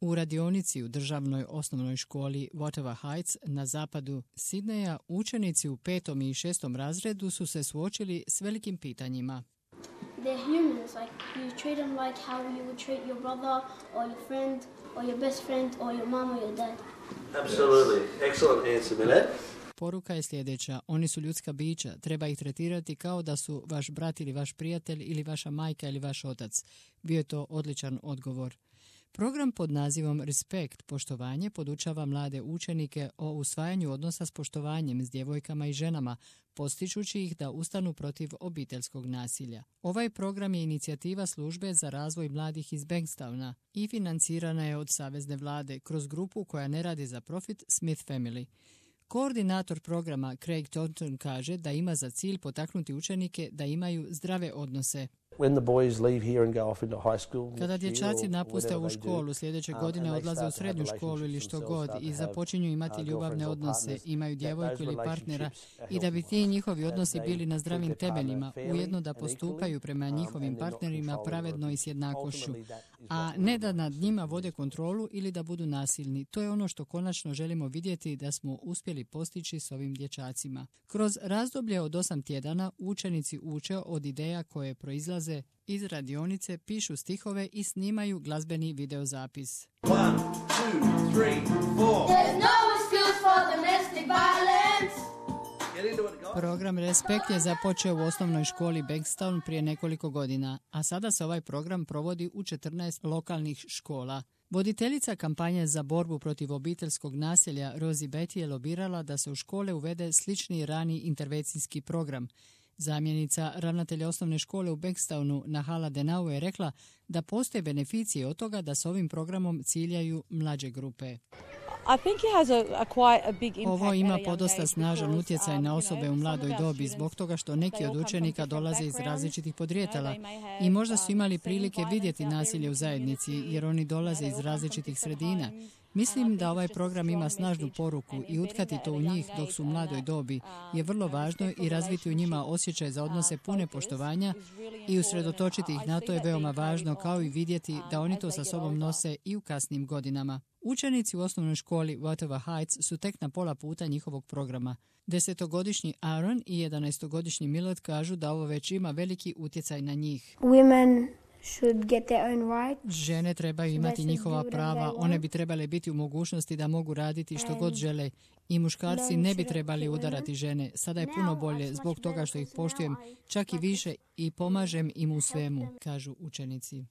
U radionici u državnoj osnovnoj školi Whatever Heights na zapadu Sidneja učenici u 5. i 6. razredu su se suočili s velikim pitanjima. They're humans, like you treat them like how you would treat your brother or your friend or your best friend or your mom or your dad. Absolutely. Excellent answer, Millett. Poruka je sljedeća. Oni su ljudska bića. Treba ih tretirati kao da su vaš brat ili vaš prijatelj ili vaša majka ili vaš otac. Bio je to odličan odgovor. Program pod nazivom Respect, poštovanje, podučava mlade učenike o usvajanju odnosa s poštovanjem s djevojkama i ženama, postičući ih da ustanu protiv obiteljskog nasilja. Ovaj program je inicijativa službe za razvoj mladih iz Bankstowna i financirana je od savezne vlade kroz grupu koja ne radi za profit Smith Family. Koordinator programa Craig Thornton kaže da ima za cilj potaknuti učenike da imaju zdrave odnose. Kada dječaci napuste ovu školu, sljedeće godine odlaze u srednju školu ili što god i započinju imati ljubavne odnose, imaju djevojku ili partnera i da bi ti njihovi odnosi bili na zdravim temeljima, ujedno da postupaju prema njihovim partnerima pravedno i s jednakošću, a ne da nad njima vode kontrolu ili da budu nasilni. To je ono što konačno želimo vidjeti da smo uspjeli postići s ovim dječacima. Kroz razdoblje od 8 tjedana učenici uče od ideja koje proizlaze iz radionice, pišu stihove i snimaju glazbeni videozapis. 1, 2, 3, 4. There's no excuse for domestic violence. Program Respekt je započeo u osnovnoj školi Bankstown prije nekoliko godina, a sada se ovaj program provodi u 14 lokalnih škola. Voditeljica kampanje za borbu protiv obiteljskog nasilja Rosie Betty je lobirala da se u škole uvede slični rani intervencijski program. Zamjenica ravnatelja osnovne škole u Bankstownu Nahala Denau je rekla da postoje beneficije od toga da s ovim programom ciljaju mlađe grupe. Ovo ima podosta snažan utjecaj na osobe u mladoj dobi zbog toga što neki od učenika dolaze iz različitih podrijetala i možda su imali prilike vidjeti nasilje u zajednici jer oni dolaze iz različitih sredina. Mislim da ovaj program ima snažnu poruku i utkati to u njih dok su u mladoj dobi je vrlo važno i razviti u njima osjećaj za odnose pune poštovanja i usredotočiti ih na to je veoma važno, kao i vidjeti da oni to sa sobom nose i u kasnim godinama. Učenici u osnovnoj školi Whatever Heights su tek na pola puta njihovog programa. 10-godišnji Aaron i 11-godišnji Millett kažu da ovo već ima veliki utjecaj na njih. Žene trebaju imati njihova prava, one bi trebale biti u mogućnosti da mogu raditi što god žele i muškarci ne bi trebali udarati žene. Sada je puno bolje zbog toga što ih poštujem čak i više i pomažem im u svemu, kažu učenici.